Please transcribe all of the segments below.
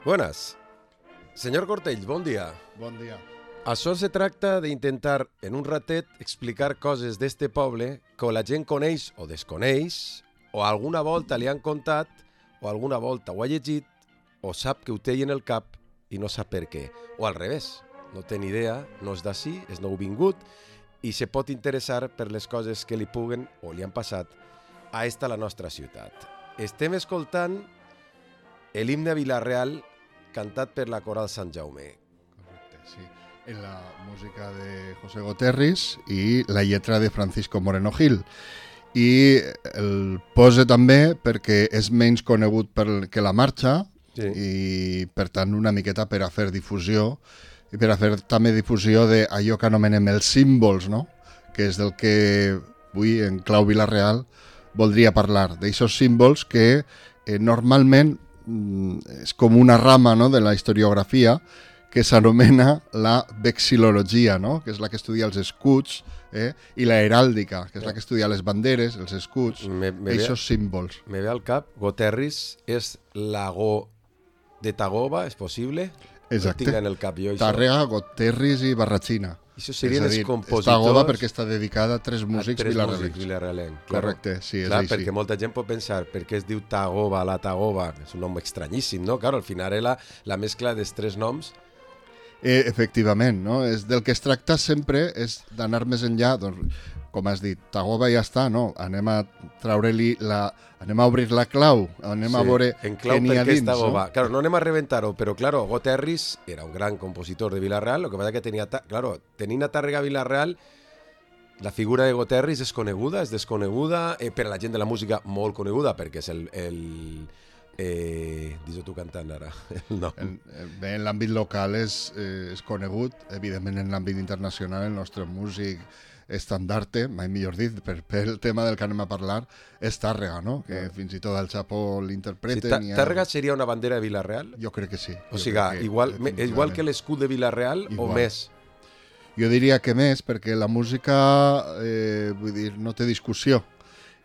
Buenas. Senyor Cortell, bon dia. Bon dia. Això se tracta d'intentar, en un ratet, explicar coses d'este poble que la gent coneix o desconeix, o alguna volta li han contat, o alguna volta ho ha llegit, o sap que ho té en el cap i no sap per què. O al revés, no té ni idea, no és d'ací, és nouvingut, i se pot interessar per les coses que li puguen o li han passat a esta la nostra ciutat. Estem escoltant l'himne a Vila-real cantat per la Coral Sant Jaume. Correcte, sí. En la música de José Goterris i la lletra de Francisco Moreno Gil. I el pose també perquè és menys conegut que la marxa, sí. I per tant una miqueta per a fer difusió i per a fer també difusió d'allò que anomenem els símbols, no? Que és del que avui en clau Vila-real voldria parlar, d'aixòs símbols que normalment és com una rama, no?, de la historiografia que s'anomena la vexil·lologia, no?, que és la que estudia els escuts, i la heràldica, que és la que estudia les banderes, els escuts, aquests símbols. Me ve al cap, Goterris és lago de Tagoba, és possible? Exacte. Tinc en el cap jo, Tàrrega, Goterris i Barratxina. Això serien els compositors... Tagoba perquè està dedicada a tres músics vilarrealencs. Correcte, sí, és clar, així. Perquè molta gent pot pensar per què es diu Tagoba, la Tagoba, és un nom estranyíssim, no? Claro, al final era la mescla dels tres noms. Efectivament, no? Del que es tracta sempre és d'anar més enllà, doncs, com has dit, Tagoba ja està, no? Anem a treure-li anem a obrir la clau, anem a veure què n'hi ha dins. Tagoba. No? Claro, no anem a reventar-ho, però claro, Goterris era un gran compositor de Vila-real, lo que passa que tenint a Tàrrega Vila-real, la figura de Goterris és coneguda, és desconeguda, per a la gent de la música molt coneguda, perquè és dis-ho tu cantant ara. No. Bé, en l'àmbit local és conegut, evidentment en l'àmbit internacional el nostre músic estandarte, mai millor dit, per el tema del que anem a parlar, és Tàrrega, no? Que fins i tot al Chapo l'interpreten. Sí, Tàrrega seria una bandera de Vila-real? Jo crec que sí. O sigui, igual que l'escut de Vila-real o més? Jo diria que més, perquè la música, vull dir, no té discussió.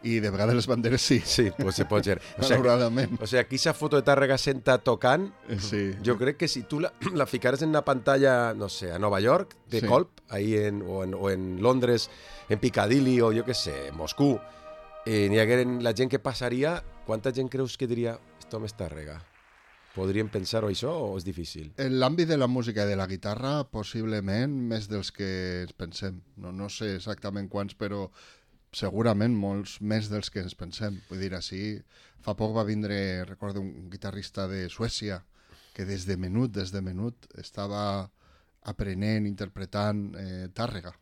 I de vegades les banderes sí. Sí, pues se pot ser. Malauradament. O sigui, aquí esa foto de Tàrrega senta tocant, sí. Jo crec que si tu la ficares en una pantalla, no sé, a Nova York, de sí. Colp, ahí o en Londres, en Piccadilly, o jo què sé, en Moscú, n'hi hagueren la gent que passaria, quanta gent creus que diria esto me Tàrrega? Podríem pensar-ho això o és difícil? En l'àmbit de la música i de la guitarra, possiblement més dels que ens pensem. No sé exactament quants, però segurament molts més dels que ens pensem. Vull dir, així, fa poc va vindre, recordo, un guitarrista de Suècia que des de menut estava aprenent, interpretant Tàrrega,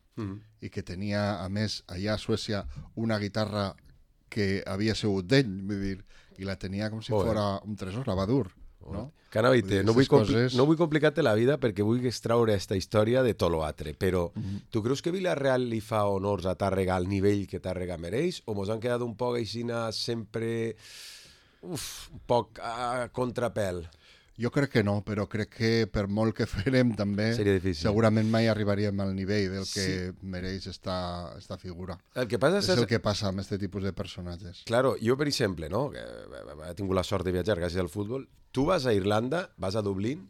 i que tenia, a més, allà a Suècia, una guitarra que havia sigut d'ell, vull dir, i la tenia com si fora un tresor, la Badur. No? Canaveite, no vull complicar-te la vida perquè vull extraure aquesta història de tot l'altre, però tu creus que Vila-real li fa honors a Tàrrega al nivell que Tàrrega mereix o mos han quedat un poc aixina sempre un poc a contrapèl? Jo crec que no, però crec que per molt que farem també segurament mai arribaríem al nivell del que mereix esta figura. El que passa és el que passa amb aquest tipus de personatges. Claro, jo per exemple, no, que he tingut la sort de viatjar gràcies al futbol, tu vas a Irlanda, vas a Dublín,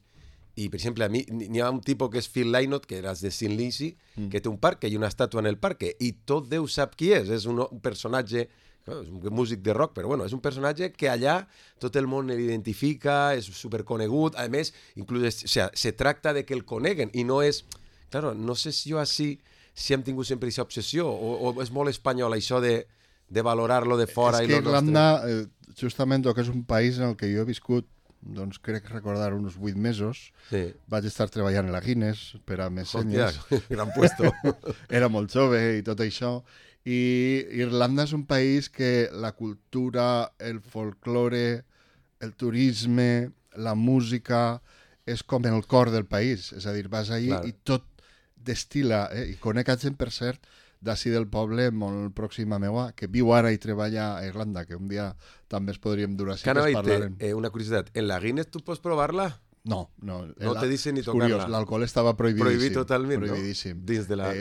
i per exemple a mi n'hi ha un tipus que és Phil Lynott, que era de St. Lucie, que té un parc, i una estàtua en el parc, i tot Déu sap qui és un personatge. És un músic de rock, però bueno, és un personatge que allà tot el món l'identifica, és superconegut, a més, inclús se tracta de que el coneguen i no és... Claro, no sé si jo així si hem tingut sempre aquesta obsessió o és molt espanyol això de valorar-lo de fora. És que Irlanda, justament, que és un país en el que jo he viscut, doncs crec recordar uns 8 mesos, sí. Vaig estar treballant a la Guinness per a Messenyes. Hòstia, gran puesto. Era molt jove i tot això. I Irlanda és un país que la cultura, el folklore, el turisme, la música, és com el cor del país. És a dir, vas allà i tot destila. I conec gent, per cert, d'ací del poble, molt pròxima meua, que viu ara i treballa a Irlanda, que un dia també es podríem dur així, que es parlarem. Una curiositat, en la Guinness tu pots provar-la? No. No te dicen ni tocar-la. Curiós, l'alcohol estava prohibidíssim. Prohibit totalment, prohibidíssim. No? Dins de la...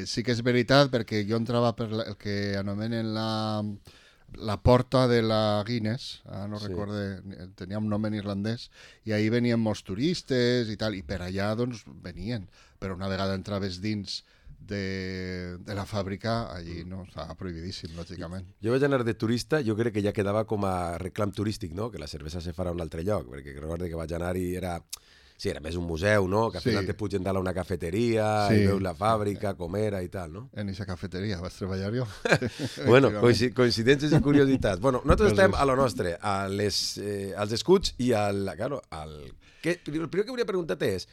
Sí que és veritat, perquè jo entrava per el que anomenen la porta de la Guinness, no Sí. recorde, tenia un nom en irlandès, i ahir venien molts turistes i tal, i per allà doncs venien, però una vegada entraves dins de la fàbrica, allí no, estava prohibidíssim, lògicament. Jo vaig anar de turista, jo crec que ja quedava com a reclam turístic, no? Que la cervesa se farà a un altre lloc, perquè recordo que vaig anar i era... Sí, era més un museu, no? Que al final te pugen dalt a una cafeteria i veus la fàbrica, com era i tal, no? En aquesta cafeteria vaig treballar jo. Bueno, coincidències i curiositats. Bueno, nosaltres estem a lo nostre, als escuts i claro, el primer que volia preguntar-te és,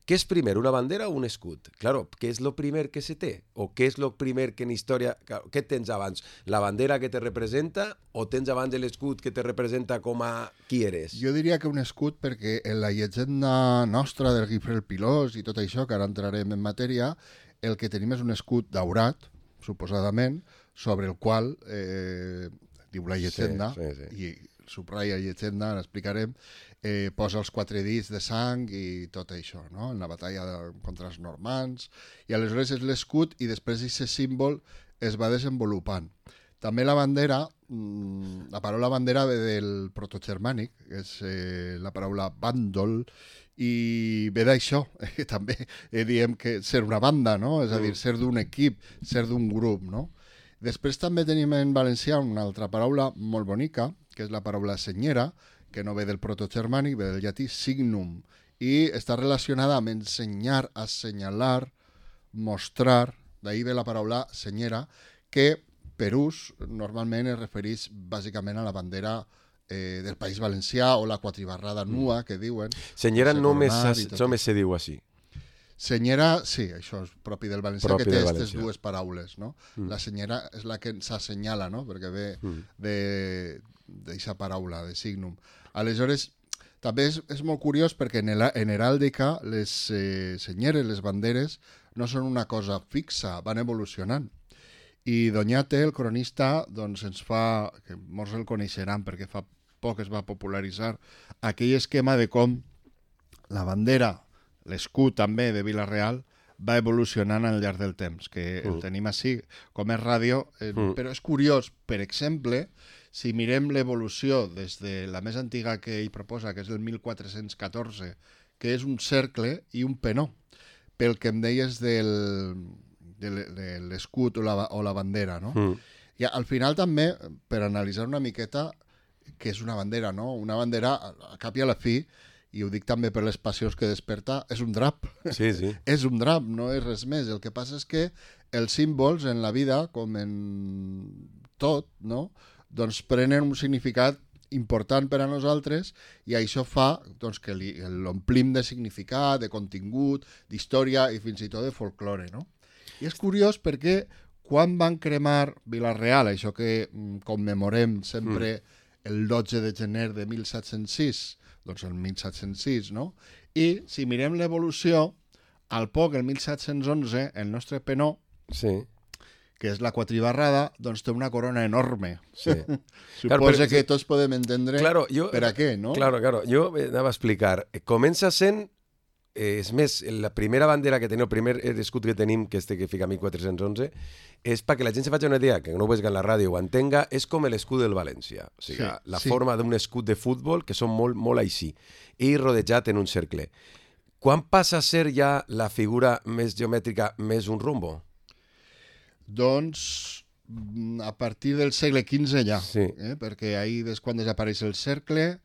què és primer, una bandera o un escut? Claro, què és lo primer que se té? O què és lo primer que en història... Claro, què tens abans? La bandera que te representa o tens abans l'escut que te representa com a qui eres? Jo diria que un escut perquè en la llegenda nostra del Guifré el Pilós i tot això, que ara entrarem en matèria, el que tenim és un escut daurat, suposadament, sobre el qual, diu la llegenda, i subratlla llegenda, l'explicarem, posa els 4 dits de sang i tot això, no? En la batalla contra els normands, i aleshores és l'escut i després aquest símbol es va desenvolupant. També la bandera, la paraula bandera ve del protogermànic, que és la paraula bàndol, i ve d'això, també diem que ser una banda, no? És a dir, ser d'un equip, ser d'un grup, no? Després també tenim en valencià una altra paraula molt bonica, que és la paraula senyera, que no ve del protogermànic, ve del llatí signum, i està relacionada amb ensenyar, assenyalar, mostrar, d'ahir ve la paraula senyera, que per ús normalment es refereix bàsicament a la bandera del País Valencià o la quatribarrada nua, que diuen. Senyera només se diu així. Senyera, sí, això és propi del valencià, que té aquestes dues paraules, no? La senyera és la que s'assenyala, no? Perquè ve d'aquesta paraula, de signum. Aleshores, també és molt curiós perquè en heràldica les senyeres, les banderes, no són una cosa fixa, van evolucionant. I Doñate, el cronista, doncs ens fa, que molts el coneixeran perquè fa poc es va popularitzar, aquell esquema de com la bandera, l'escut també de Vila-real, va evolucionant al llarg del temps, que el tenim així, com és ràdio, però és curiós, per exemple, si mirem l'evolució des de la més antiga que ell proposa, que és el 1414, que és un cercle i un penó, pel que em deies de l'escut o la bandera, no? I al final també, per analitzar una miqueta, què és una bandera, no? Una bandera, a cap i a la fi, i ho dic també per les passions que desperta, és un drap. Sí, sí. És un drap, no és res més. El que passa és que els símbols en la vida, com en tot, no? Doncs prenen un significat important per a nosaltres i això fa doncs, que l'omplim de significat, de contingut, d'història i fins i tot de folklore, no? I és curiós perquè quan van cremar Vila-real, això que commemorem sempre el 12 de gener de 1706, doncs el 1706, no? I si mirem l'evolució, al poc, el 1711, el nostre penó, que és la quatribarrada, doncs té una corona enorme. Sí. Suposa que tots podem entendre per a què, no? Claro. Jo anava a explicar. Comença sent, és més, la primera bandera que tenim, el primer escut que tenim, que este que fica 1411, és perquè la gent se faci una idea, que no ho vegi en la ràdio o entenga, és com l'escut del València. O sigui, la forma d'un escut de futbol, que són molt, molt així, i rodejat en un cercle. Quan passa a ser ja la figura més geomètrica, més un rombo? Doncs a partir del segle XV ja, perquè ahir és quan desapareix el cercle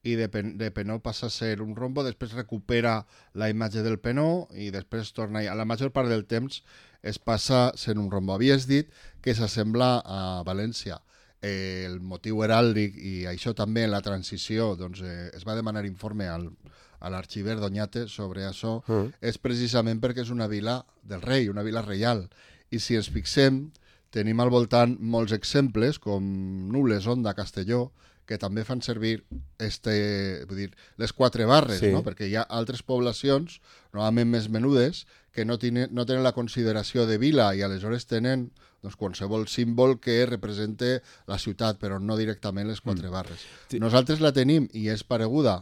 i de penó passa a ser un rombo, després recupera la imatge del penó i després torna a la major part del temps es passa sent un rombo. Havies dit que s'assembla a València. El motiu heràldic i això també en la transició doncs, es va demanar informe a l'arxiver Doñate sobre això, és precisament perquè és una vila del rei, una vila reial. I si ens fixem, tenim al voltant molts exemples, com Nules, Onda, Castelló, que també fan servir les 4 barres, no? Perquè hi ha altres poblacions, normalment més menudes, que no tenen la consideració de vila i aleshores tenen qualsevol símbol que represente la ciutat, però no directament les 4 barres. Nosaltres la tenim i és pareguda,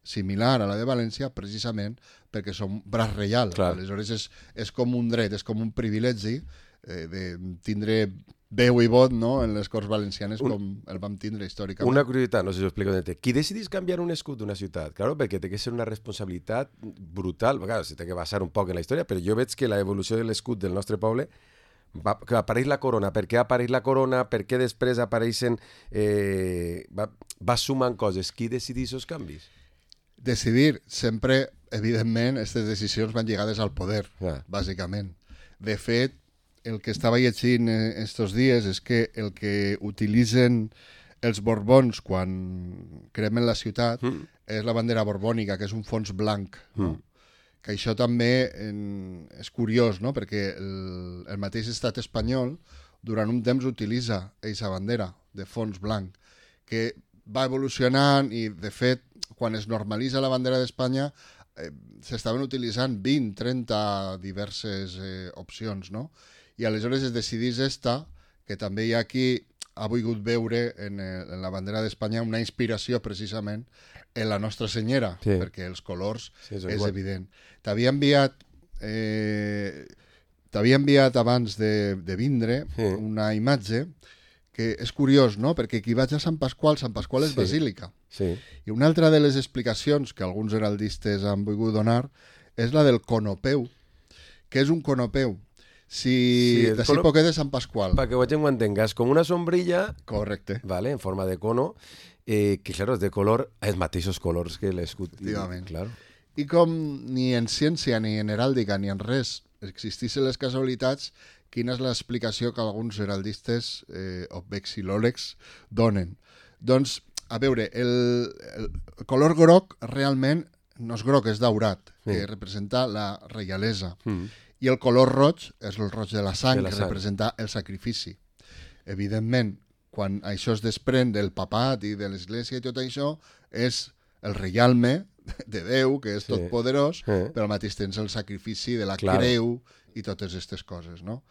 similar a la de València, precisament perquè som braç reial. Aleshores és com un dret, és com un privilegi de tindre veu i vot, no?, en les Corts Valencianes com el vam tindre històricament. Una curiositat, no sé si ho explico. Qui decidís canviar un escut d'una ciutat? Claro, perquè té que ser una responsabilitat brutal. Claro, se té que basar un poc en la història, però jo veig que la evolució de l'escut del nostre poble que apareix la corona. Per què apareix la corona? Per què després apareixen... va sumant coses. Qui decidís els canvis? Decidir, sempre, evidentment, aquestes decisions van lligades al poder, bàsicament. De fet, el que estava llegint estos dies és que el que utilitzen els borbons quan cremen la ciutat és la bandera borbònica, que és un fons blanc, no? Que això també és curiós, no? Perquè el mateix estat espanyol durant un temps utilitza aquesta bandera de fons blanc, que va evolucionant i, de fet, quan es normalitza la bandera d'Espanya s'estaven utilitzant 20, 30 diverses opcions, no? I aleshores es decidís esta, que també hi ha qui ha volgut veure en la bandera d'Espanya una inspiració precisament en la Nostra Senyera, perquè els colors és evident. T'havia enviat abans de vindre una imatge que és curiós, no? Perquè qui vaig a Sant Pasqual és basílica. I una altra de les explicacions que alguns heraldistes han volgut donar és la del conopeu. Què és un conopeu? D'ací poquet de Sant Pasqual. Perquè la gent ho entengués, com una sombrilla... Correcte. Vale, en forma de cono, que, claro, és de color, els mateixos colors que l'escut. Efectivament. Claro. I com ni en ciència, ni en heràldica, ni en res existissin les casualitats, quina és l'explicació que alguns heraldistes o vexil·lòlegs donen? Doncs, a veure, el color groc realment no és groc, és daurat, que representa la reialesa. I el color roig és el roig de la sang, que representa el sacrifici. Evidentment, quan això es desprèn del papat i de l'església i tot això, és el reialme de Déu, que és tot poderós, però al mateix temps el sacrifici de la creu i totes aquestes coses, no?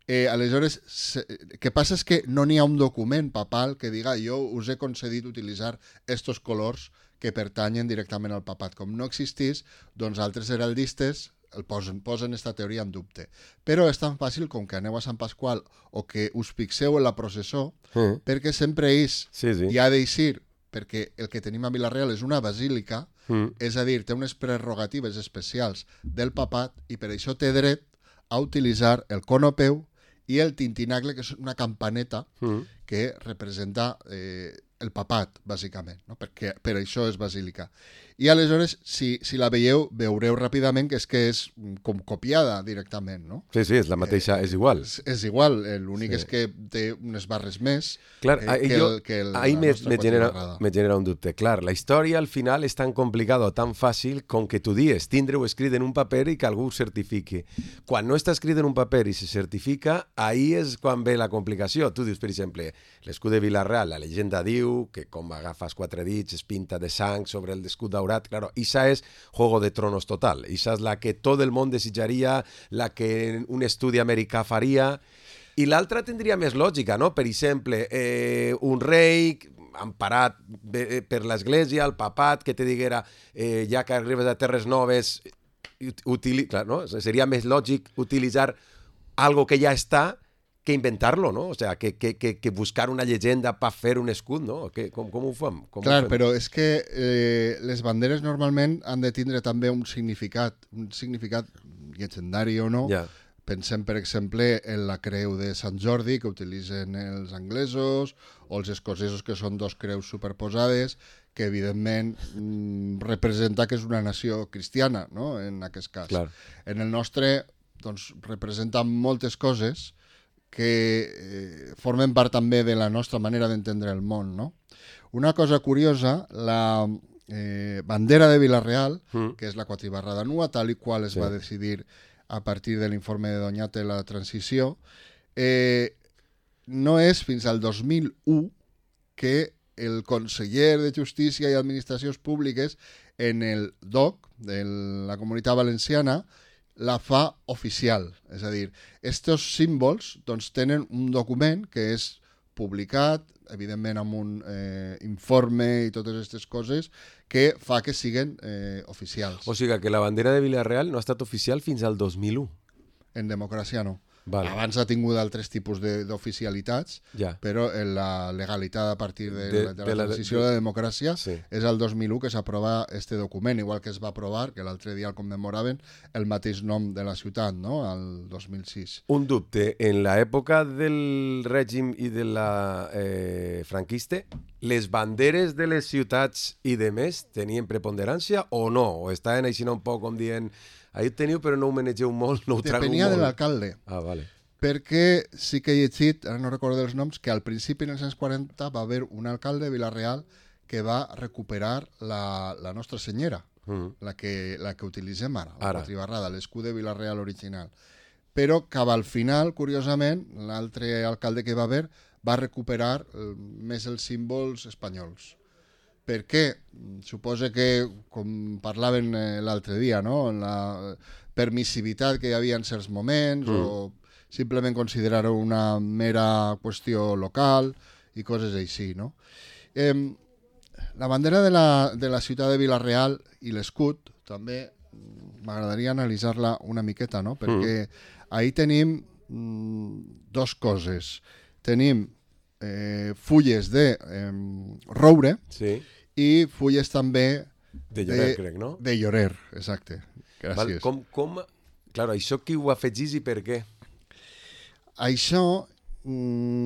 Aleshores, el que passa és que no n'hi ha un document papal que diga jo us he concedit utilitzar estos colors que pertanyen directament al papat. Com no existís, doncs altres heraldistes posen aquesta teoria en dubte. Però és tan fàcil com que aneu a Sant Pasqual o que us fixeu en la processó, perquè sempre hi ha d'eixir, perquè el que tenim a Vila-real és una basílica, és a dir, té unes prerrogatives especials del papat i per això té dret a utilitzar el conopeu i el tintinacle, que és una campaneta que representa el papat, bàsicament, no? Perquè per això és basílica. I aleshores, si la veieu, veureu ràpidament que és com copiada directament, no? Sí, és la mateixa, és igual. És igual, l'únic és que té unes barres més clar, que ahí me genera un dubte. Clar, la història al final és tan complicada o tan fàcil com que tu dies tindre-ho escrit en un paper i que algú ho certifiqui. Quan no està escrit en un paper i se certifica, ahí és quan ve la complicació. Tu dius, per exemple, l'escut de Vila-real, la llegenda diu que com agafes 4 dits es pinta de sang sobre el escut daurat. Claro, esa es Juego de Tronos total. Esa es la que todo el món desitjaria, la que un estudi americà faria. I l'altra tindria més lògica, no? Per exemple, un rei emparat per l'església, el papat, que te diguera ja que arribes a Terres Noves, clar, no? Seria més lògic utilitzar algo que ja està que inventar-lo, no? O sea, que buscar una llegenda per fer un escut, no? Com ho fem? Clar, però és que les banderes normalment han de tindre també un significat llegendari o no. Pensem, per exemple, en la creu de Sant Jordi, que utilitzen els anglesos, o els escocesos, que són 2 creus superposades, que evidentment representa que és una nació cristiana, no?, en aquest cas. Clar. En el nostre, doncs, representa moltes coses que formen part també de la nostra manera d'entendre el món, no? Una cosa curiosa, la bandera de Vila-real, que és la quatribarra de Nua, tal i qual es va decidir a partir de l'informe de Doñate la transició, no és fins al 2001 que el conseller de Justícia i Administracions Públiques en el DOC de la Comunitat Valenciana la fa oficial. És a dir, estos símbols doncs, tenen un document que és publicat, evidentment amb un informe i totes aquestes coses, que fa que siguen oficials. O sigui que la bandera de Vila-real no ha estat oficial fins al 2001. En democràcia no. Vale. Abans ha tingut altres tipus d'oficialitats, Ja. però la legalitat a partir de la transició de la democràcia Sí. és el 2001 que s'aprova este document, igual que es va aprovar, que l'altre dia el commemoraven, el mateix nom de la ciutat, no? El 2006. Un dubte, en l'època del règim i de la franquista, les banderes de les ciutats i de més tenien preponderància o no? O estaven així un poc com dient ahí ho teniu però no ho manegeu molt, no ho trago molt? Depenia de l'alcalde. Ah, vale. Perquè sí que he llegit, ara no recordo els noms, que al principi, en els anys 40, va haver un alcalde de Vila-real que va recuperar la Nostra Senyera, la que utilitzem ara, la quatribarrada, l'escut de Vila-real original. Però cap al final, curiosament, l'altre alcalde que va haver va recuperar més els símbols espanyols. Per què? Suposa que, com parlaven l'altre dia, no? La permissivitat que hi havia en certs moments o simplement considerar-ho una mera qüestió local i coses així, no? La bandera de la ciutat de Vila-real i l'escut també m'agradaria analitzar-la una miqueta, no? Perquè ahí tenim dos coses. Tenim fulles de roure, sí, i fulles també de llorer, crec, no? De llorer, exacte. Gràcies. Val, claro, això qui ho afegís i per què? Això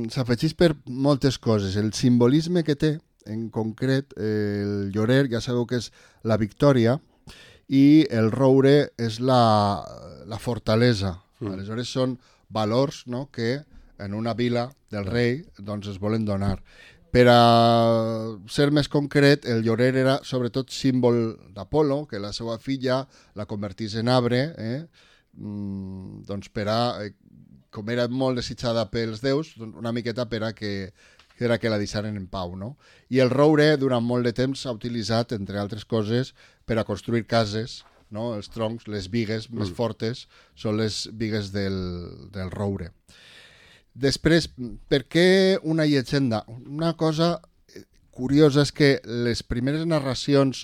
s'afegeix per moltes coses. El simbolisme que té, en concret, el llorer, ja sabeu que és la victòria, i el roure és la fortalesa. Aleshores són valors, no?, que en una vila del rei doncs es volen donar. Per a ser més concret, el llorer era sobretot símbol d'Apolo, que la seva filla la convertís en arbre, doncs per a, com era molt desitjada pels déus, una miqueta per a que la deixaren en pau, no? I el roure durant molt de temps s'ha utilitzat, entre altres coses, per a construir cases, no? Els troncs, les bigues més fortes són les bigues del roure. Després, per què una llegenda? Una cosa curiosa és que les primeres narracions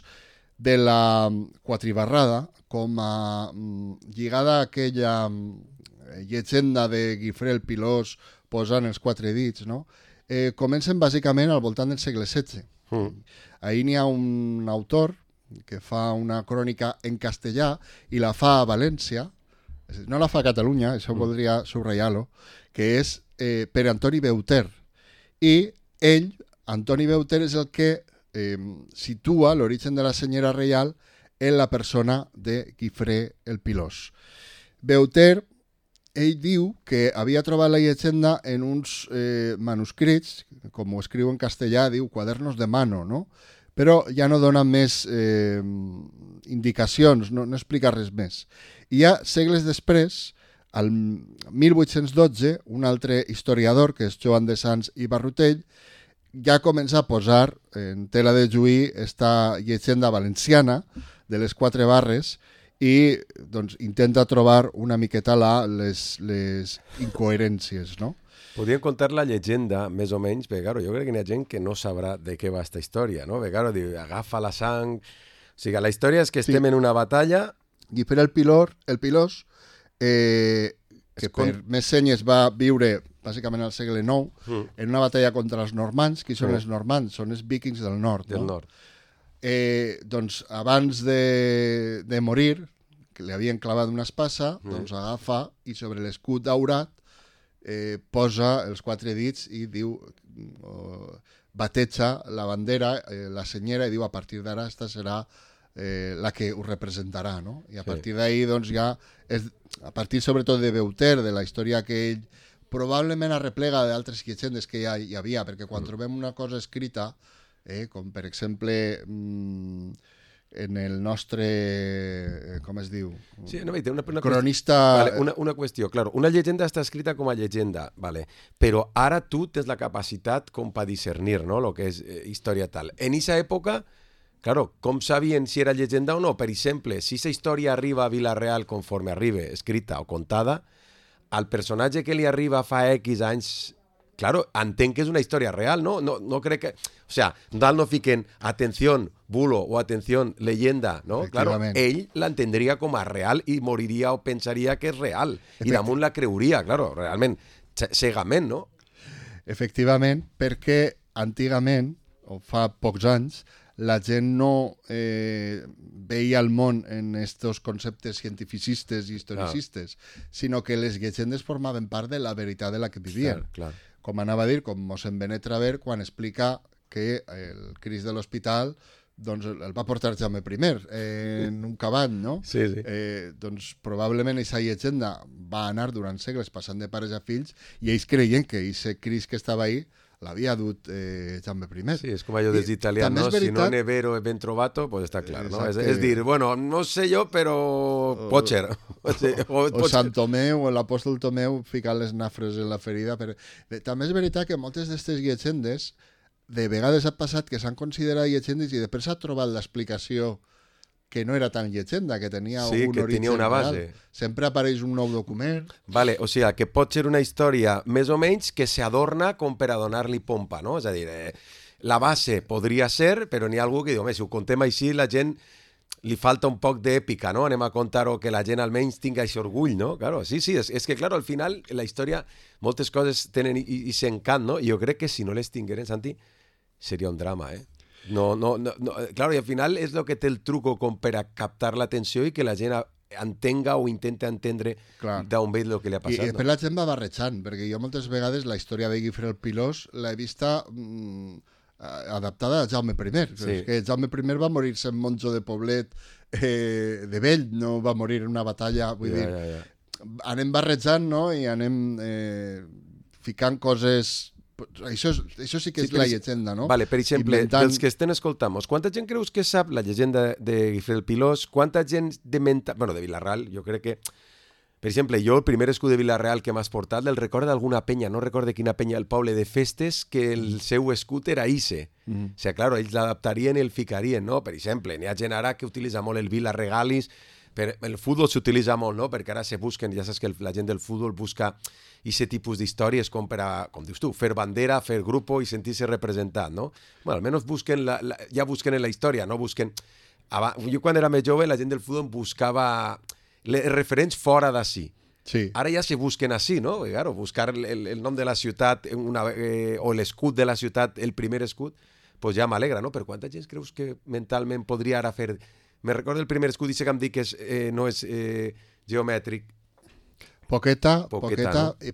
de la quatribarrada, com a lligada a aquella llegenda de Guifré el Pilós posant els quatre dits, no? Comencen bàsicament al voltant del segle XVI. Ahir n'hi ha un autor que fa una crònica en castellà i la fa a València, no la fa a Catalunya, això voldria subratllar-lo, que és per Antoni Beuter. I ell, Antoni Beuter, és el que situa l'origen de la senyera reial en la persona de Guifré el Pilós. Beuter, ell diu que havia trobat la llegenda en uns manuscrits, com ho escriu en castellà, diu quadernos de mano, no? Però ja no dona més indicacions, no explica res més. I ja segles després, al 1812, un altre historiador, que és Joan de Sans i Barrutell, ja comença a posar en tela de juí esta llegenda valenciana de les quatre barres i doncs, intenta trobar una miqueta les incoherències, no? Podríem contar la llegenda, més o menys, perquè jo crec que hi ha gent que no sabrà de què va esta història, no? Perquè diu, agafa la sang... O sigui, la història és que estem en una batalla... Guifré el Pilós, que per més senyes va viure bàsicament al segle IX, en una batalla contra els normands. Qui són els normands? Són els vikings del nord. Del nord. Doncs abans de morir, que li havien clavat una espasa, doncs agafa i sobre l'escut daurat posa els quatre dits i diu, bateja la bandera, la senyera, i diu a partir d'ara esta serà la que ho representarà, no? I a partir d'ahir, doncs ja, a partir sobretot de Beuter, de la història que ell probablement arreplega d'altres llegendes que ja hi havia, perquè quan trobem una cosa escrita, com per exemple en el nostre, com es diu? Sí, no, té una cronista... Vale, una qüestió, claro, una llegenda està escrita com a llegenda, vale, però ara tu tens la capacitat com per discernir, no?, el que és història tal. En aquesta època, claro, com sabien si era llegenda o no? Per exemple, si aquesta història arriba a Vila-real conforme arriba, escrita o contada, al personatge que li arriba fa X anys, claro, entenc que és una història real, no? No crec que... O sea, dalt no fiquen atención bulo o atención leyenda, no? Claro, ell l'entendria com a real i moriria o pensaria que és real. I damunt la creuria, claro, realment, cegament, no? Efectivament, perquè antigament, o fa pocs anys, la gent no veia el món en estos conceptes cientificistes i historicistes, sinó que les llegendes formaven part de la veritat de la que vivien. Clar. Com anava a dir, com mossèn Benet Traver, quan explica que el Crist de l'Hospital doncs el va portar Jaume I en un cavall, no? Sí, sí. Doncs probablement aquesta llegenda va anar durant segles passant de pares a fills i ells creien que aquest Crist que estava ahí l'havia dut Jaume I. Sí, és com allò dels italians, no? Veritat... Si no ne vero e ben trovato, pues està clar, no? És dir, bueno, no sé jo, però pot ser. O Sant Tomeu, o l'apòstol Tomeu ficant les nafres en la ferida. Però... També és veritat que moltes d'aquestes llegendes de vegades ha passat que s'han considerat llegendes i després s'ha trobat l'explicació que no era tan llegenda, que tenia un origen tenia una base. real. Sempre apareix un nou document. Vale, o sigui, que pot ser una història més o menys que s'adorna com per a donar-li pompa, no? És a dir, la base podria ser, però n'hi ha algú que diu, home, si ho contem així, la gent li falta un poc d'èpica, no? Anem a contar-ho que la gent almenys tinga aquest orgull, no? Claro, sí, és que, claro, al final, la història, moltes coses tenen i s'encant, no? I jo crec que si no les tingueren, Santi, seria un drama, eh? No, claro, i al final és el que té el truco com per a captar l'atenció i que la gent entenga o intenta entendre d'on ve el que li ha passat. I després la gent va barrejant, perquè jo moltes vegades la història de Guifré el Pilós l'he vista adaptada a Jaume I. Sí. És que Jaume I va morir sent monjo de Poblet de vell, no va morir en una batalla, vull dir, anem barrejant, no?, i anem ficant coses... Això sí que és la llegenda, no? Vale, per exemple, dels que estem escoltant, quanta gent creus que sap la llegenda de Guifré el Pilós? Quanta gent de Vila-real, jo crec que... Per exemple, jo el primer escut de Vila-real que m'has portat el recordo d'alguna penya, no recordo quina penya, el poble de Festes, que el seu escut era Ise. O sigui, clar, ells l'adaptarien i el ficarien, no? Per exemple, n'hi ha gent ara que utilitza molt el Vila-regalis, el futbol s'utilitza molt, no? Perquè ara se busquen, ja saps que la gent del futbol busca aquest tipus d'històries com per a, com dius tu, fer bandera, fer grupo i sentir-se representat, no? Bueno, almenys busquen ja busquen en la història, no busquen... Jo quan era més jove la gent del futbol buscava les referents fora d'ací. Sí. Ara ja se busquen així, no? I, claro, buscar el nom de la ciutat o l'escut de la ciutat, el primer escut, pues ja m'alegra, no? Per quanta gent creus que mentalment podria ara fer... Me recordo el primer escut, dice que em dic que no és geomètric. Poqueta, no?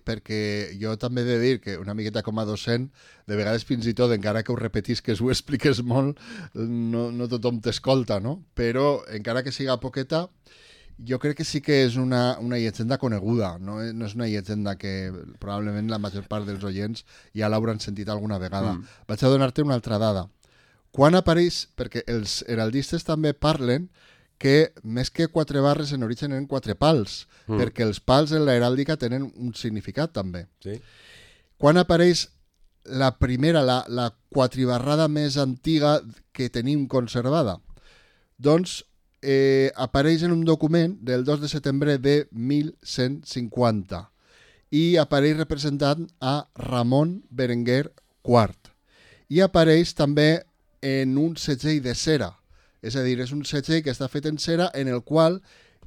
Perquè jo també he de dir que una miqueta com a docent, de vegades fins i tot, encara que ho repetis, que ho expliques molt, no tothom t'escolta, no? Però encara que siga poqueta, jo crec que sí que és una llegenda coneguda, no és una llegenda que probablement la major part dels oients ja l'hauran sentit alguna vegada. Vaig a donar-te una altra dada. Quan apareix, perquè els heraldistes també parlen que més que 4 barres en origen eren 4 pals, perquè els pals en l'heràldica tenen un significat també. Sí. Quan apareix la primera, la quatribarrada més antiga que tenim conservada? Doncs apareix en un document del 2 de setembre de 1150 i apareix representant a Ramon Berenguer IV. I apareix també en un segell de cera. És a dir, és un segell que està fet en cera en el qual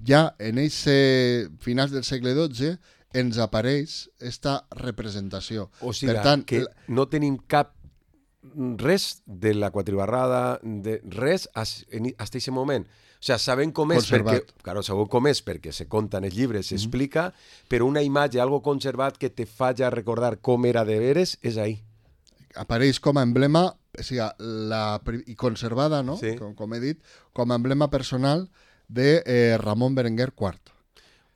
ja en finals del segle XII ens apareix esta representació. O sigui, per tant, que no tenim res de la quatribarrada, de res fins aquest moment. O sigui, sabem com és perquè se conta en els llibres, s'explica, però una imatge, algo conservat que te faci recordar com era de veres, és ahí. Apareix com a emblema, o sigui, i conservada, no? Sí. Com he dit, com a emblema personal de Ramon Berenguer IV.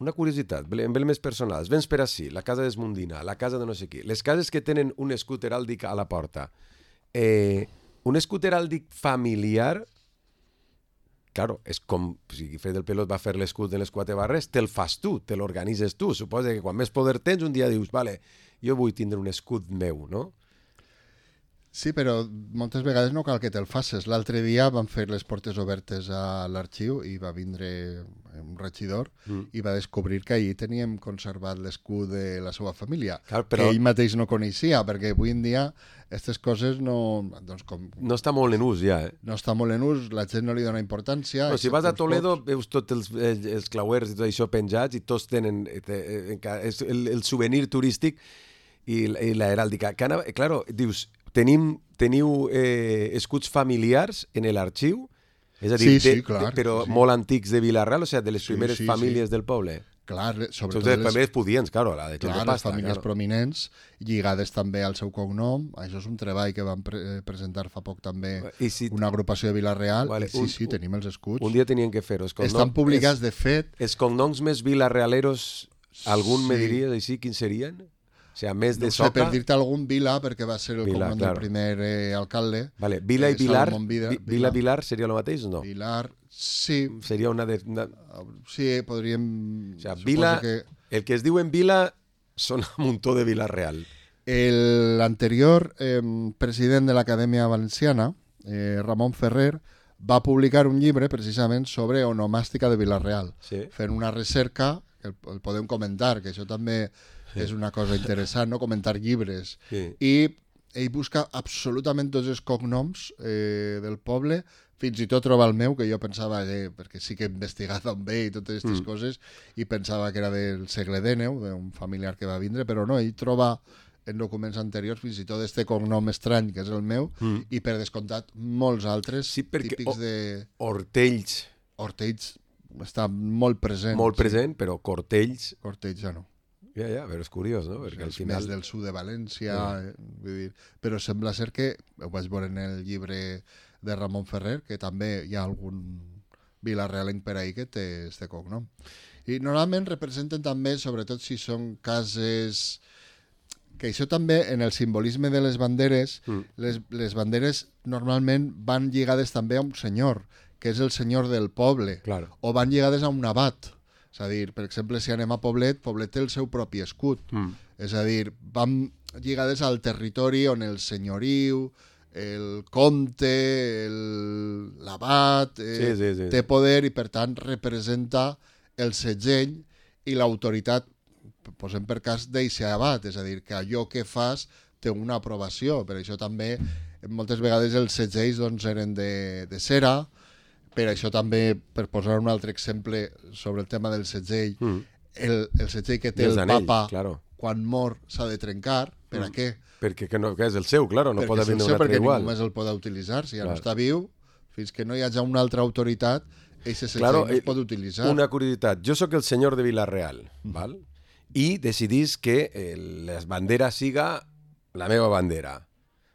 Una curiositat, emblemes personals. Vens per ací, la casa d'Esmundina, la casa de no sé qui. Les cases que tenen un escut heràldic a la porta. Un escut heràldic familiar, claro, és com si Guifré del Pilós va fer l'escut de les 4 barres, te'l fas tu, te l'organitzes tu. Suposa que quan més poder tens, un dia dius, vale, jo vull tindre un escut meu, no? Sí, però moltes vegades no cal que te'l facis. L'altre dia van fer les portes obertes a l'arxiu i va vindre un regidor i va descobrir que allí teníem conservat l'escut de la seva família, Clar, però... que ell mateix no coneixia, perquè avui en dia aquestes coses no... Doncs no està molt en ús ja, No està molt en ús, la gent no li dona importància. No, si vas a Toledo veus tots els clauers i tot això penjats i tots tenen és el souvenir turístic i la heràldica. Claro, dius, teniu escuts familiars en l'arxiu? És a dir, clar, però molt antics de Vila-real, o sigui, de les primeres famílies del poble? Clar, sobretot les famílies pudients, claro, la de gent de pasta. Les famílies prominents, lligades també al seu cognom. Això és un treball que van presentar fa poc també una agrupació de Vila-real. Vale, sí, tenim els escuts. Un dia tenien que fer-ho. Estan publicats, de fet... Els cognoms més vilarealeros, algun me diries així, quins serien? O sigui, més de Soca... per dir-te algun, Vila, perquè va ser el cognom del primer alcalde. Vale. Vila i Vilar, Vila seria el mateix o no? Vilar, sí. Seria una de... Sí, podríem... O sigui, Vila, el que es diu en Vila són un muntó de Vila-real. L'anterior president de l'Acadèmia Valenciana, Ramon Ferrer, va publicar un llibre precisament sobre onomàstica de Vila-real, fent una recerca, que el podem comentar, que això també... és una cosa interessant, no? Comentar llibres. I ell busca absolutament tots els cognoms del poble, fins i tot troba el meu, que jo pensava que, perquè sí que he investigat on ve i totes aquestes coses, i pensava que era del segle XIX, d'un familiar que va vindre, però no, ell troba en documents anteriors fins i tot este cognom estrany, que és el meu, i per descomptat molts altres típics de... Hortells. Hortells està molt present. Molt present, però Cortells... Cortells ja no. Ja, però és curiós, no? Perquè al final... més del sud de València, vull dir, però sembla ser que, ho vaig veure en el llibre de Ramon Ferrer, que també hi ha algun vilarealenc per ahí que té este cognom. I normalment representen també, sobretot si són cases... Que això també, en el simbolisme de les banderes, les banderes normalment van lligades també a un senyor, que és el senyor del poble, o van lligades a un abat. És a dir, per exemple, si anem a Poblet, Poblet té el seu propi escut. És a dir, vam lligades al territori on el senyoriu, el comte, l'abat, té poder i, per tant, representa el segell i l'autoritat, posem per cas, d'eixe abat. És a dir, que allò que fas té una aprovació. Per això també, moltes vegades, els segells doncs, eren de cera. Per això també, per posar un altre exemple sobre el tema del segell, el segell que té el papa quan mor s'ha de trencar. Per a què? Perquè que és el seu, claro, no pot haver un altre igual. Perquè només el pot utilitzar. Si ja no està viu, fins que no hi hagi una altra autoritat, aquest segell no es pot utilitzar. Una curiositat. Jo sóc el senyor de Vila-real, val? I decidís que la bandera siga la meva bandera.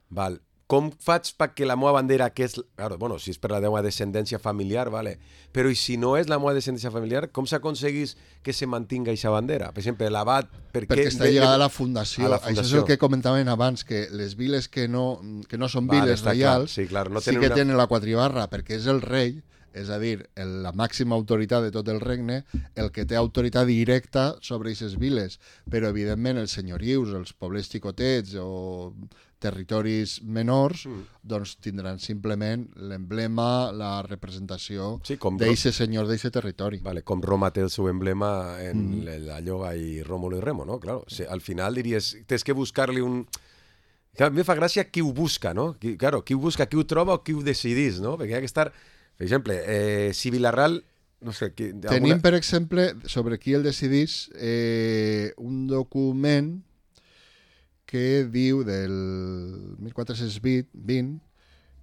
Val? Com faig perquè la meva bandera, que és... Claro, bueno, si és per la meva descendència familiar, vale. Però i si no és la meva descendència familiar, com s'aconseguís que se mantinga aquesta bandera? Per exemple, l'abat... Perquè està lligada a la fundació. Això és el que comentaven abans, que les viles que no són viles reials sí que tenen la quadribarra, perquè és el rei, és a dir, la màxima autoritat de tot el regne, el que té autoritat directa sobre aquestes viles. Però, evidentment, els senyorius, els pobles xicotets o territoris menors, doncs tindran simplement l'emblema, la representació d'aquest senyor d'aquest territori. Vale, com Roma té el seu emblema en la lloga i Rómulo i Remo, no? Claro, al final diries, tens que buscar-li un... Clar, a mi fa gràcia qui ho busca, no? Qui ho busca, qui ho troba o qui ho decidís, no? Perquè hi ha que estar... Per exemple, si Vila-real... No sé, tenim, per exemple, sobre qui el decidís, un document que diu del 1420,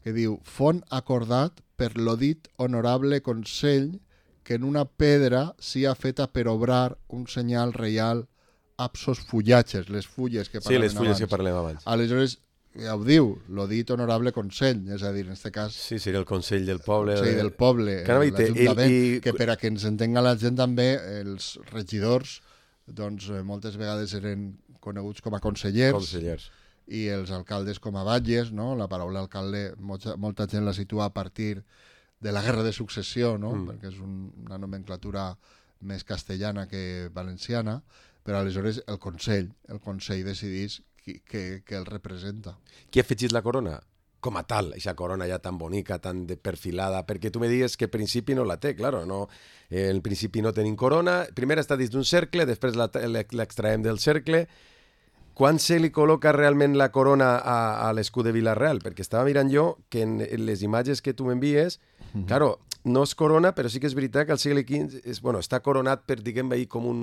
que diu font acordat per l'odit honorable Consell que en una pedra sia feta per obrar un senyal reial absos fullatges, les fulles que parlem abans. Sí, les fulles que parlem abans. Aleshores, ja ho diu, l'odit honorable Consell, és a dir, en aquest cas... Sí, seria el Consell del Poble. Sí, del poble, l'Ajuntament, que per a que ens entenga la gent també, els regidors, doncs moltes vegades eren coneguts com a consellers. I els alcaldes com a batlles, no? La paraula alcalde molta gent la situa a partir de la guerra de successió, no? Perquè és una nomenclatura més castellana que valenciana, però aleshores el Consell decidís que el representa. Qui ha afegit la corona? Com a tal, aquesta corona ja tan bonica, tan perfilada, perquè tu me digues que al principi no la té, claro, no, en principi no tenim corona, primer està dins d'un cercle, després l'extraem del cercle. Quan se li col·loca realment la corona a l'escut de Vila-real? Perquè estava mirant jo que en les imatges que tu m'envies, claro, no és corona, però sí que és veritat que al segle XV està coronat per, diguem-ne, com un,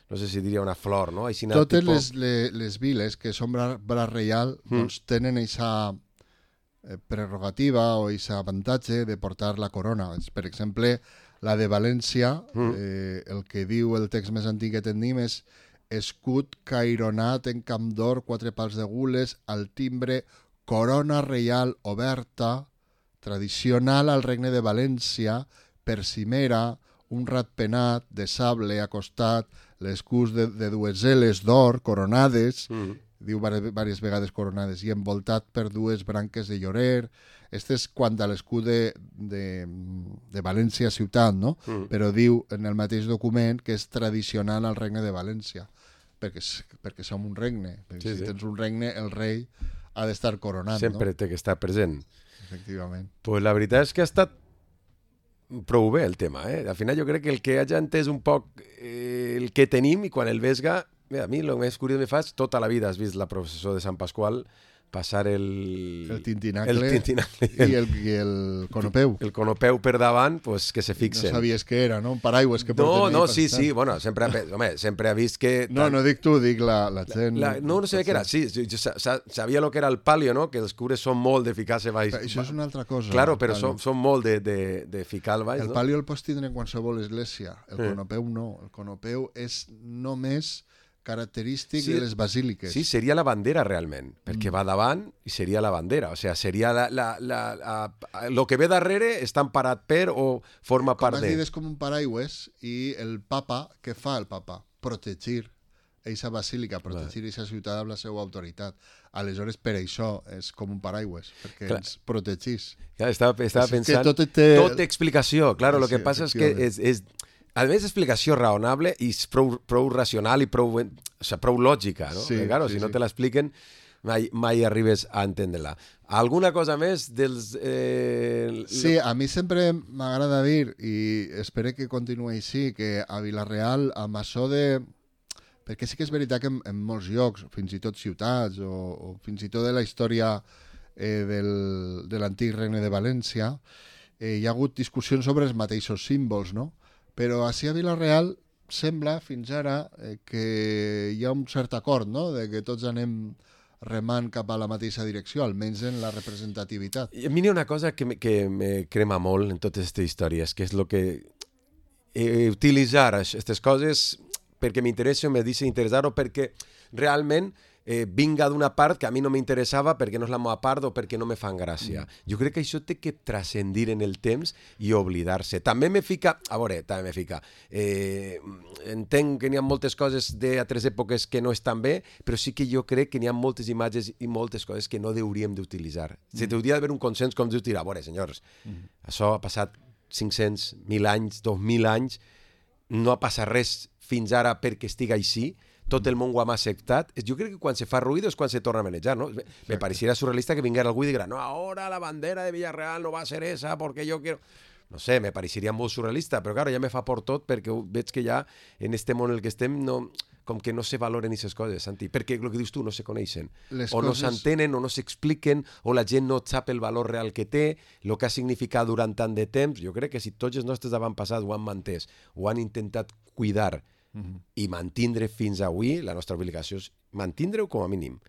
no sé si diria una flor, no? Totes les viles que són braç reial doncs tenen aquesta prerrogativa o aquest avantatge de portar la corona. Per exemple, la de València, el que diu el text més antic que tenim és escut caironat en camp d'or, 4 pals de gules, al timbre, corona reial oberta, tradicional al regne de València, per cimera, un ratpenat de sable acostat, l'escut de dues eles d'or coronades, diu diverses vegades coronades, i envoltat per 2 branques de llorer. Este és quant a l'escut de València ciutat, no? Però diu en el mateix document que és tradicional al regne de València, perquè som un regne. Si tens un regne, el rei ha d'estar coronat. Sempre té que estar present. Efectivament. Pues la veritat és que ha estat prou bé el tema. Al final jo crec que el que hagi entès un poc el que tenim i quan el vesga, a mi el més curiós me fa és tota la vida has vist la processó de Sant Pasqual passar el tintinacle i el conopeu. El conopeu per davant, pues, que se fixen. No sabies què era, no? Un paraigües que porten. No, sí, bueno, sempre ha vist que... No dic tu, dic la gent... No sabia què era, sí, jo sabia el que era el palio, no? Que els cures són molt de ficar-se baix. Això és una altra cosa. Claro, però són molt de ficar al baix, no? El palio el pots tindre en qualsevol església, el conopeu no. El conopeu és només característic de les basíliques. Sí, seria la bandera realment, perquè va davant i seria la bandera, o sigui, seria el que ve darrere està emparat per o forma part de... Com has dit, és com un paraigües i el papa, què fa el papa? Protegir aquesta basílica, protegir aquesta ciutat amb la seva autoritat. Aleshores, per això és com un paraigües, perquè ens protegís. Estava pensant... Tot té explicació, claro, el que passa és que és a més, explicació raonable i prou racional i prou lògica, no? Sí, claro, si no te l'expliquen, mai arribes a entendre-la. Alguna cosa més dels... Sí, a mi sempre m'agrada dir, i espero que continuï així, que a Vila-real, amb això de... Perquè sí que és veritat que en molts llocs, fins i tot ciutats, o fins i tot de la història de l'antic regne de València, hi ha hagut discussions sobre els mateixos símbols, no? Però així a Vila-real sembla fins ara que hi ha un cert acord, no? De que tots anem remant cap a la mateixa direcció, almenys en la representativitat. A mi hi ha una cosa que me crema molt en totes aquestes històries, que és el que utilitzar aquestes coses perquè m'interessa o me deixa interessar o perquè realment vinga d'una part que a mi no m'interessava perquè no és la meva part o perquè no me fan gràcia. Jo crec que això té que transcendir en el temps i oblidar-se. També me fica... entenc que n'hi ha moltes coses d'altres èpoques que no estan bé, però sí que jo crec que n'hi ha moltes imatges i moltes coses que no hauríem d'utilitzar. Se hauria d'haver un consens com dius, a veure, senyors, això ha passat 500, 1.000 anys, 2.000 anys, no ha passat res fins ara perquè estigui així, tot el món ho ha acceptat. Jo crec que quan se fa ruïdo és quan se torna a manejar, no? Me pareixeria surrealista que vinguera algú i diguera no, ahora la bandera de Villarreal no va a ser esa porque yo quiero... No sé, me pareixeria molt surrealista, però claro, ja me fa por tot perquè veig que ja en este món en el que estem no, com que no se valoren aquestes coses, Santi, perquè el que dius tu no se coneixen, no s'entenen o no s'expliquen o la gent no sap el valor real que té, el que ha significat durant tant de temps. Jo crec que si tots els nostres avantpassats ho han mantès, ho han intentat cuidar i mantindre fins avui, la nostra obligació és mantindre-ho com a mínim.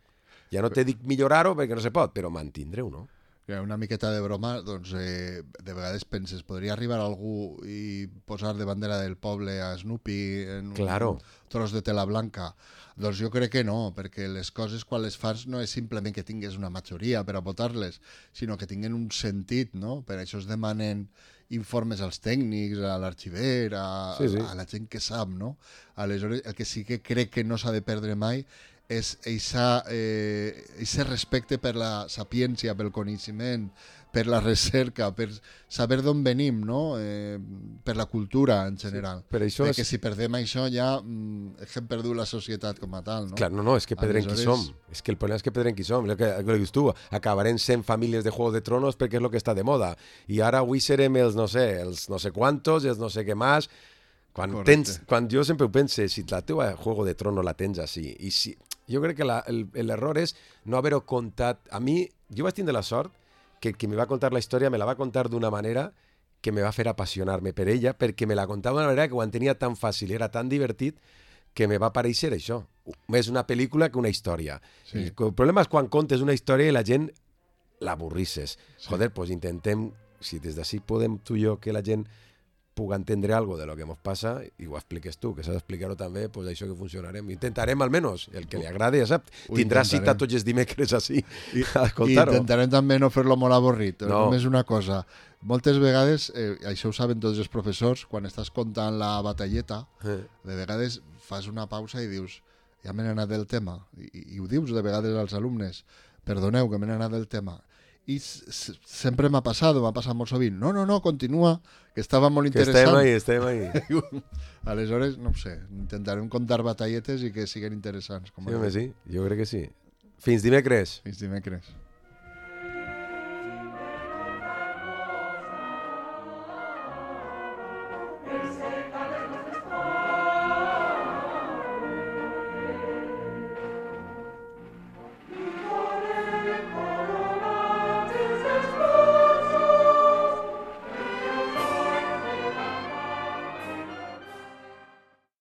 Ja no te dic millorar-ho perquè no se pot, però mantindre-ho, no? Una miqueta de broma, doncs de vegades penses, podria arribar algú i posar de bandera del poble a Snoopy en un tros de tela blanca? Doncs jo crec que no, perquè les coses quan les fas no és simplement que tingues una majoria per a votar-les, sinó que tinguen un sentit, no? Per això es demanen informes als tècnics, a l'arxiver, a la gent que sap, no? Aleshores, el que sí que crec que no s'ha de perdre mai és ese respecte per la sapiència, pel coneixement, per la recerca, per saber d'on venim, no? Per la cultura en general. Sí, per això que si perdem això ja hem perdut la societat com a tal, no? Clar, no, és que perdrem qui som. És que el problema és que perdrem qui som. El que dius tu, acabarem sent famílies de Juego de Tronos perquè és el que està de moda. I ara avui serem els no sé quantos, els no sé què més. Quan jo sempre ho pense, si la teva Juego de Tronos la tens així, i si, jo crec que l'error és no haver-ho contat. A mi, jo vaig tindre la sort que qui me va contar la història me la va contar d'una manera que me va fer apassionar-me per ella, perquè me la contava d'una manera que ho entenia tan fàcil, era tan divertit, que me va pareixer això. Més una pel·lícula que una història. Sí. I el problema és quan contes una història i la gent l'avorrisses. Sí. Joder, doncs intentem, si des d'ací podem tu i jo que la gent puga entendre algo de lo que ens passa, i ho expliques tu, que s'ha d'explicar-ho també, doncs això que funcionarem. Intentarem almenys, el que li agradi, ja sap, tindrà cita tots els dimecres així a escoltar-ho. I intentarem també no fer-lo molt avorrit. No. Només una cosa, moltes vegades, això ho saben tots els professors, quan estàs contant la batalleta, de vegades fas una pausa i dius, ja m'he anat del tema, i ho dius de vegades als alumnes, perdoneu que m'he anat del tema. I sempre m'ha passat molt sovint. No, continua, que estava molt interessant. Que estem ahí. Aleshores, no ho sé, intentarem contar batalletes i que siguin interessants. Sí, home, sí, jo crec que sí. Fins dimecres. Fins dimecres.